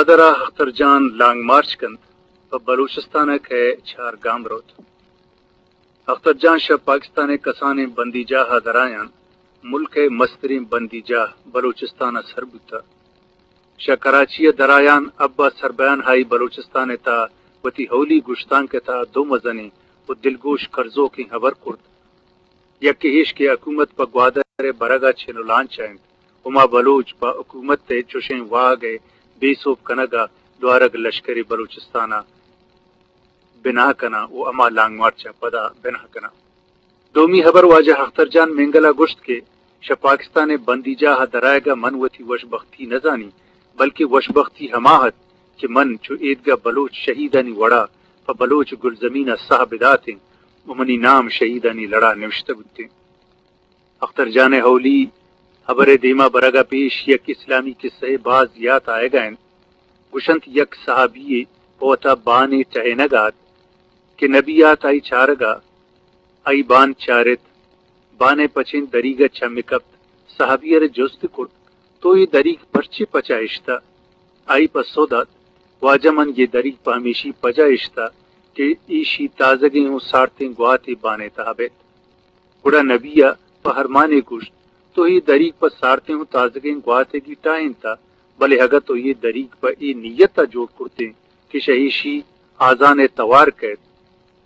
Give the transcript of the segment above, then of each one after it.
گوادر ءَ اختر جان لانگ مارچ کنت، پہ بلوچستان ءَ کئے چار گام روت۔ اختر جان شہ پاکستان ءِ کسانیں بندیجاہ ءَ درایان ملک ءِ مستریں بندیجاہ بلوچستان ءَ سر بوتہ۔ شہ کراچی ءَ درایان ابا سربیان ہائی بلوچستان ءِ تہا وتی اولی گشتانک ءِ تہا دو مزنیں و دلگوش کرزوکیں ہبر کرت۔ یکے ایش کہ حکومت پہ گوادر ءِ برگ ءَ چن و لانچ ءَ انت، ہما بلوچ پہ حکومت ءِ چوشیں واہگ ءِ بے سوب کنگ ءَ لوارگ لشکر بلوچستان ءَ بناہ کناں و ہما لانگ مارچ ءَ پدا بناہ کناں۔ دومی ہبر واجہ اختر جان مینگل ءَ گوشت کہ شہ پاکستان ءِ بندیجاہ ءَ درآیگ ءَ من وتی وشبختی نہ زانی، بلکیں وشبختی ہما ات کہ من چو ایدگہ بلوچ شہیدانی وڑا پہ بلوچ گلزمین ءَ ساہ بداتیں و منی نام شہیدانی لڑا نوشتہ بوتیں۔ اختر جان ءِ اولی ہبر ءِ دیما برگ ءَ پیش یک اسلامی کسہ ءِ باز یات آیگ ءَ انت۔ گوشنت یک صحابی یے پہ وتا بانے ٹہینگ ءَ ات کہ نبی آت آئی چارگ ءَ، آئی بان چارت، بان ءِ پچیں دریگ ءَ چم کپت۔ صحابی ءَ را جست کرت، تو اے دریگ پرچے پچ ءَ اشتہ؟ آئی پسو دات، واجہ من اے دریگ پہ ہمیشی پجا اشتہ کہ ایشی تازگیں و سارتیں گواتے بان ءِ تہا بیت۔ گڑا نبی ءَ پہ ارمانے گوشت، تو اے دریگ پہ سارتیں و تازگیں گواتیگی ٹاہینتہ، بلے اگاں تو اے دریگ پہ اے نیت ءَ جوڑ کرتیں کہ شہ ایشی آزان ءِ توار کئیت،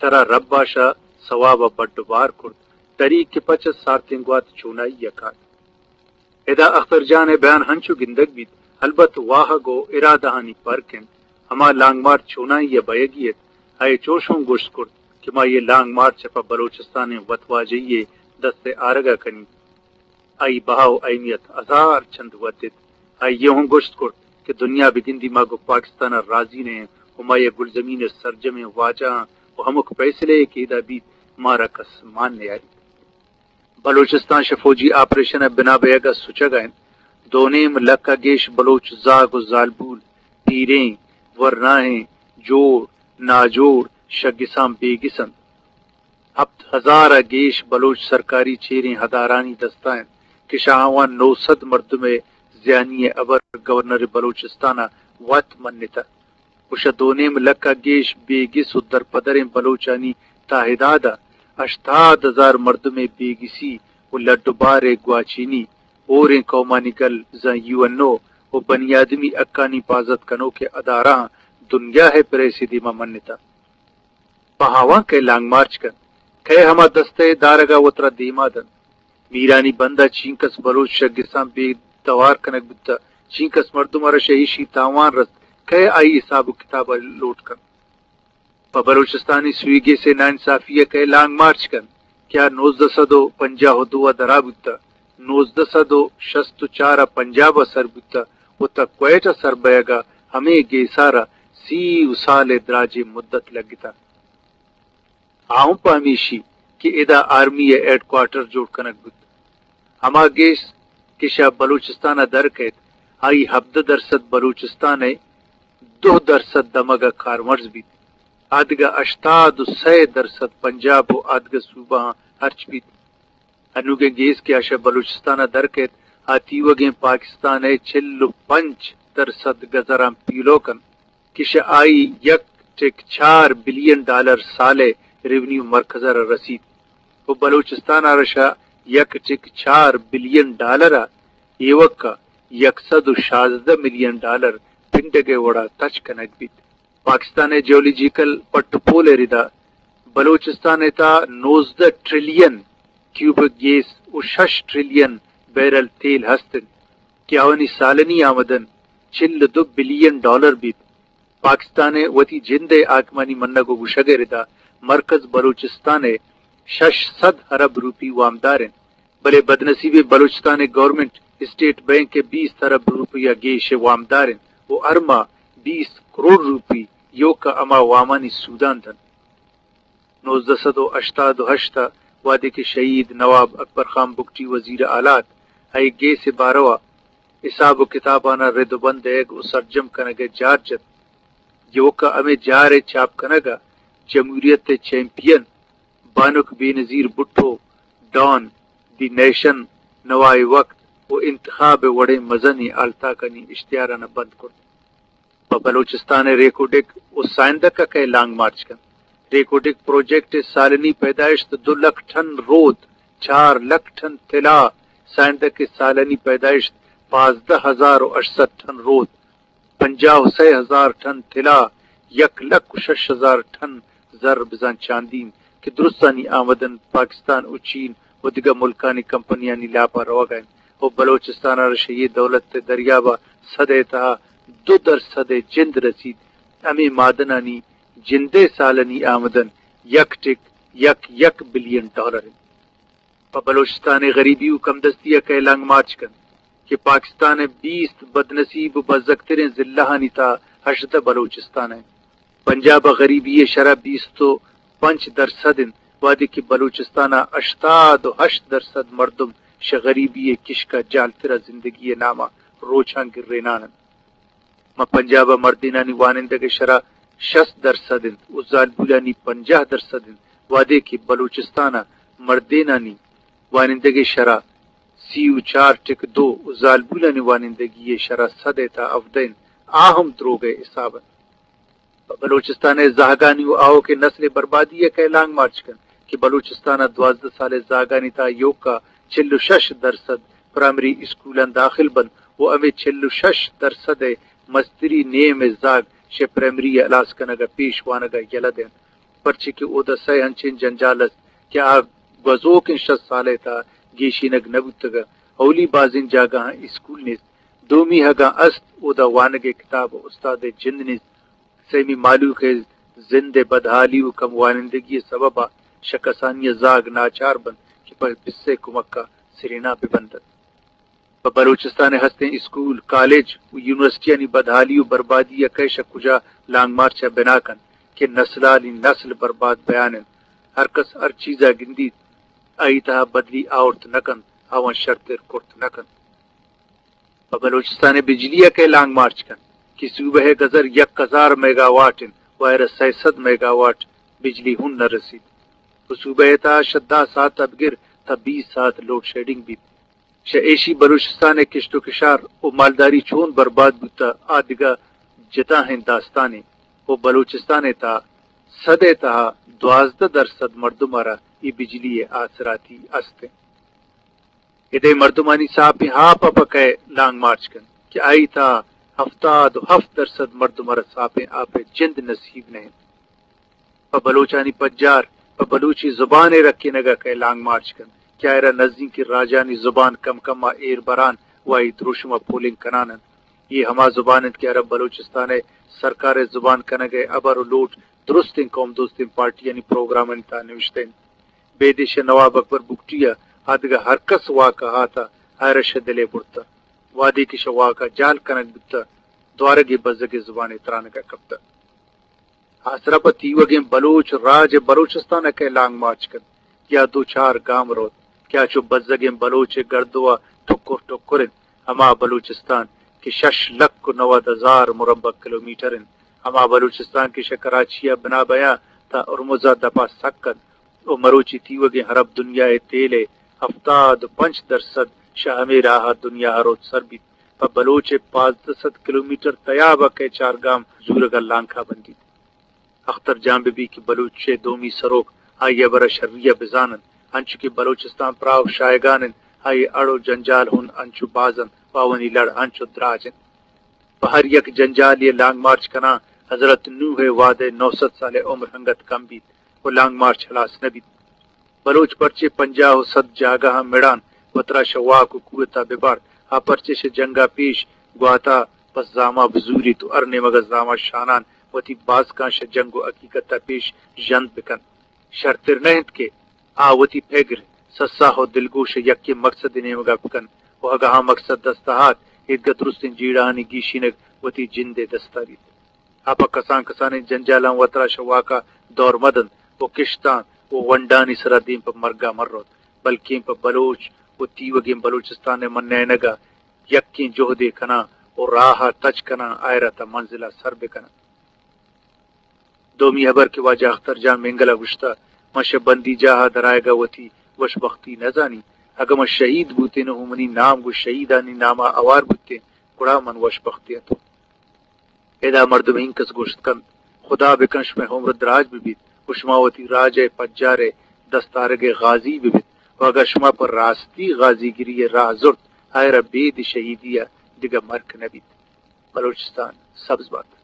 ترا رب ءَ شہ ثواب ءَ بڈ و بار کرت، دریگ کہ پچ ات سارتیں گوات چونائی ءَ کات۔ ادا اختر جان ءِ بیان ہنچو گندگ بیت، البت واہگ و ارادہانی پرک انت۔ ہما لانگ مارچ چونائی ءَ بئیگی ات، آئی ءَ چوش ہوں گوشت کرت کہ ما اے لانگ مارچ ءَ پہ بلوچستان ءِ وتواجہی ءِ دست ءَ آرگ ءَ کنیں۔ آئی بہا و اہمیت ہزار چند ودت۔ آئی ءَ ہوں گوشت کرت کہ دنیا بگندی ما گوں پاکستان ءَ راضی نہ ایں و ما اے گلزمین ءِ سرجمیں واجہاں و ہمک پیسلہ ءَ کہ ادا بیت مارا کس مان نیاریت۔ بلوچستان شہ فوجی آپریشن ءِ بنا بئیگ ءَ سچگ ءَ انت۔ دو نیم لکھ ءَ گیش بلوچ زاگ و زالبول، پیریں، ورناہیں، جوڑ، ناجوڑ، شہ گساں بے گس انت۔ ہپت ہزار ءَ گیش بلوچ سرکاری چیریں ادارہانی دست ءَ انت کہ شہ آواں نو سد مردم ءِ زیانی ءِ ہبر گورنر بلوچستان ءَ وت منتہ۔ و شہ دو نیم لکھ ءَ گیش بے گس و درپدریں بلوچانی تعداد ءَ ہشتاد ہزار مردم ءِ بے گسی و لڈ و بار ءِ گواچنی ہوریں قومانی گل زاں یو این او و بنی آدمی حقانی پازت کنوکیں ادارہاں دنیا ءِ پریس ءِ دیما منتہ۔ پہ آواں کئے لانگ مارچ کنت، کئے ہما دستہ ءِ دارگ ءَ وترا دیما دنت؟ میرانی بند ءَ چینکس بلوچ شہ گساں بے توار کنگ بوتہ، چینکس مردم ءَ را شہ ایشی تاوان رست، کئے آئی حساب و کتاب ءَ لوٹ کنت؟ پہ بلوچستانی سوئی گیس ءِ ناانصافی ءَ کئے لانگ مارچ کنت کہ آ نوزدہ سد و پنجاہ و دو ءَ درا بوتہ، نوزدہ سد و شست و چار ءَ پنجاب ءَ سر بوتہ و تاں کوئٹہ ءَ سر بئیگ ءَ ہمے گیس ءَ را سی و سال ءِ دراجیں مدت لگتہ۔ آ ہم پہ ہمیشی کہ ادا آرمی ءِ ہیڈ کوارٹر جوڑ کنگ بوت۔ ہما گیس کہ شہ بلوچستان ءَ در کئیت، آئی ہبدہ درسد بلوچستان ءِ دہ درسد دمگ ءَ کارمرز بیت۔ آدگہ ہشتاد و سئے درسد پنجاب و آدگہ صوبہاں ہرچ بیت۔ انوگیں گیس کہ آ شہ بلوچستان ءَ در کئیت، آ تیوگیں پاکستان ءِ چل و پنچ درسد گزراں پیلو کنت۔ کہ شہ آئی یک ٹک چار بلین ڈالر سال ءِ ریونیو مرکز ءَ را رسیت و بلوچستان ءَ را شہ یک ٹک چار بلین ڈالر ءَ ایوک ءَ یک سد و شازدہ ملین ڈالر پنڈگ ءِ وڑا تچ کنگ بیت۔ پاکستان ءِ جیولوجیکل پٹ و پول ءِ ردا بلوچستان ءِ تہا نوزدہ ٹریلین کیوبک گیس و شش ٹریلین بیرل تیل ہست انت کہ آوانی سالنی آمدن چل و دو بلین ڈالر بیت۔ پاکستان ءِ وتی جند ءِ حاکمانی منگ و گوشگ ءِ ردا مرکز بلوچستان ءِ شش سد ارب روپی وامدار انت، بلے بدنصیبیں بلوچستان ءِ گورنمنٹ اسٹیٹ بینک ءِ بیست ارب روپی ءَ گیش ءِ وامدار انت و ہر ماہ بیست کروڑ روپی ایوک ءَ ہما وامانی سوداں دنت۔ نوزدہ سد و ہشتاد و ہشت ءَ وہدے کہ شہید نواب اکبر خان بگٹی وزیر اعلی ات، آئی ءَ گیس ءِ بارو ءَ حساب و کتاباناں رد و بند دئیگ و سرجم کنگ ءِ جار جت۔ ایوک ءَ ہمے جار ءِ چاپ کنگ ءَ جمہوریت ءِ چیمپئن بانک بے نظیر بھٹو، ڈان، دی نیشن، نوائے وقت و انتخاب ءِ وڑیں مزنیں ہالتاکانی اشتہاراناں بند کرت۔ پہ بلوچستان ء ریکوڈک و سائندک ء کئے لانگ مارچ کنت۔ ریکوڈک پروجیکٹ ء سالنی پیدائشت دو لکھ ٹن رود، چار لکھ ٹن طلا، سائندک ء سالنی پیدائشت پانزدہ ہزار و ہشت سد ٹن رود، پنجاہ و سئے ہزار ٹن طلا، یک لکھ و شش ہزار ٹن زر بزاں چاندی انت کہ درستانی آمدن پاکستان و چین و دگہ ملکانی کمپنیانی لاپا روگا انت و بلوچستان ء را شہ اے دولت ء دریابا سد ء تہا دو درسد ء جند رسیت۔ ہمے معدنانی جندئے سالنی آمدن یک ٹک یک یک بلین ڈالر انت۔ پہ بلوچستان ء غریبی و کمدستی ء کئے لانگ مارچ کنت کہ پاکستان ء بیست بدنصیب و بزگتریں ضلعانی تہا ہژدہ بلوچستان ء انت۔ پنجاب ء غریبی ء شرح بیست و پنچ درسد انت، وہدے کہ بلوچستان ء ہشتاد و ہشت درسد مردم شہ غریبی ء کشک ء جہلتر ء زندگی ء نام ء روچاں گرینان انت۔ ماں پنجاب ء مردینانی وانندگ ء شرح شست درسد انت و زالبولانی پنجاہ درسد انت، وہدے کہ بلوچستان ء مردینانی وانندگ ء شرح سی و چار ٹک دو و زالبولانی وانندگی ء شرح سد ء تا ہبدہ انت، آ ہم دروگ ء حساب انت۔ پہ بلوچستان ء زہگانی و آؤکیں نسل ء بربادی ء کئے لانگ مارچ کنت کہ بلوچستان ء دوازدہ سال ء زہگانی تہا ایوک ء چل و شش درسد پرائمری اسکولاں داخل بنت و ہمے چل و شش درسد ء مستری نیم ء زہگ شہ پرائمری ء ہلاس کنگ ء پیش وانگ ء یلہ دینت، پرچے کہ اودا سئے انچیں جنجال است کہ آ گوزوکیں شست سال ء تہا گیشینگ نہ بوتگ ء اولی بازیں جاگہاں اسکول نیست، دومی اگاں است اودا وانگ ء کتاب ء استاد ء جند نیست، سیمی مہلوک ء زند ء بدحالی و کم وانندگی ء سبب ء شہ کسانی ء زاگ ناچار بنت کہ پہ پس ء کمک ء سرینا بہ بندنت۔ پہ بلوچستان ء ہستیں اسکول، کالج و یونیورسٹیانی بدحالی و بربادی ء کئے شہ کجا لانگ مارچ ء بنا کنت کہ نسلانی نسل برباد بیان انت۔ ہر کس ہر چیز ء گندیت، آئی تہا بدلی آورت نہ کنت، آواں شرتر کرت نہ کنت۔ پہ بلوچستان ء بجلی ء کئے لانگ مارچ کنت کہ صوبہ ء گزر یک ہزار میگا واٹ انت و ایرا سئے سد میگا واٹ بجلی ہوں نہ رسیت و صوبہ ء تہا شہ دہ ساعت ء بگر تا بیست ساعت لوڈ شیڈنگ بیت۔ شہ ایشی بلوچستان ء کشت و کشار و مالداری چون برباد بوتہ، آ دگہ جتاہیں داستانے و بلوچستان ء تہا سد ء تہا دوازدہ درسد مردم ء را اے بجلی ء آسراتی است انت۔ ادے مردمانی ساپیں آپ ء پہ کئے لانگ مارچ کنت کہ آئی تہا ہفتاد و ہفت درسد مردم ء را ساپیں آپ ء جند نصیب نہ انت۔ پہ بلوچانی پجار پہ بلوچی زبان ء رکینگ ء کئے لانگ مارچ کنت کہ آئرا نزیکیں راجانی زبان کم کم ء ایر بران و آئی دروشم ء پولنگ کنان انت۔ اے ہما زبان انت کہ عرب بلوچستان ء سرکار ء زبان کنگ ء ہبر و لوٹ درستیں قوم دوستیں پارٹیانی پروگرامانی تہا نوشتہ انت۔ بیدے شہ نواب اکبر بگٹی ء آ دگہ ہر کس واک ء آتہ، آئرا شہ دل ء برتہ۔ وہدے کہ شہ واک ء جہل کنگ بوتہ، دوارگے بزگیں زبانے ترانگ ء کپتہ۔ آسرا پہ تیوگیں بلوچ راج ء بلوچستان ء کئے لانگ مارچ کنت یا دو چار گام روت کہ آ چو بزگیں بلوچ ء گردو ء ٹکر ٹکر انت، ہما بلوچستان کہ شش لکھ و نود ہزار مربع کلومیٹر انت، ہما بلوچستان کہ شہ کراچی ء بنا بیاں تا ہرمز ء دپ ء سک انت، و مروچی تیوگیں عرب دنیا ء تیل ء ہفتاد و پنچ درسد شہ ہمے راہ ء دنیا ء روت سر بیت۔ پہ بلوچ ء پانزدہ سد کلومیٹر تیاب ء کئے چارگام زورگ ء لانکا بندیت۔ اختر جان بہ بیت کہ بلوچ ء دومی سروک آئی ء ہبر ء شری ء بزان انت، انچو کہ بلوچستان پراہ و شاہگان انت، آئی ء اڑ و جنجال ہون انچو باز انت، پاوانی لڑ انچو دراج انت۔ پہ ہر یک جنجالے ء لانگ مارچ کناں، حضرت نوح ء وہد ء نو سد سال ء عمر انگت کم بیت و لانگ مارچ ہلاس نہ بیت۔ بلوچ پرچے پنجاہ و سد جاگہاں مڑان وترا شہ واک و قوت ء ببارت؟ آ پرچے شہ جنگ ء پیش گوات ء پہ زاما بزوریت و ہر نیمگ ء زاما شانان وتی باسکاں شہ جنگ و حقیقت ء پیش ژند بکنت؟ شرتر نہ انت کہ آ وتی پگر، سساہ و دلگوش ء یکیں مکسدے نیمگ ء بکنت و اگاں آ مکسد دست ء آت، ایدگہ درستیں جیڑہانی گیشینگ وتی جند ء دست ء بیت۔ آ پہ کسان کسانیں جنجالاں وترا شہ واک ء دور مہ دنت و کشتاں و ونڈانی سرا دیم پہ مرگ ء مہ روت، بلکیں پہ بلوچ و تیوگیں بلوچستان ء منینگ ء یکیں جہدے کناں و راہ ء تچ کناں، آئرا تا منزل ء سر بکناں۔ دومی ہبر کہ واجہ اختر جان مینگل ء گوشتہ، من شہ بندی جاہ ء درآیگ ء وتی وش بختی نہ زانی۔ اگاں من شہید بوتین و منی نام گوں شہیدانی نام ء ہوار بوتین، گڑا من وش بخت اتوں۔ ادا مردم اینکس گوشت کنت، خدا بکن شمئے عمر دراج ببیت و شما وتی راج ء پجار ء دستارگ ء غازی ببیت و اگاں شما پر راستی غازیگری ء راہ زرت، آئرا بید شہیدی ء دگہ مرک نہ بیت۔ بلوچستان سبز بات۔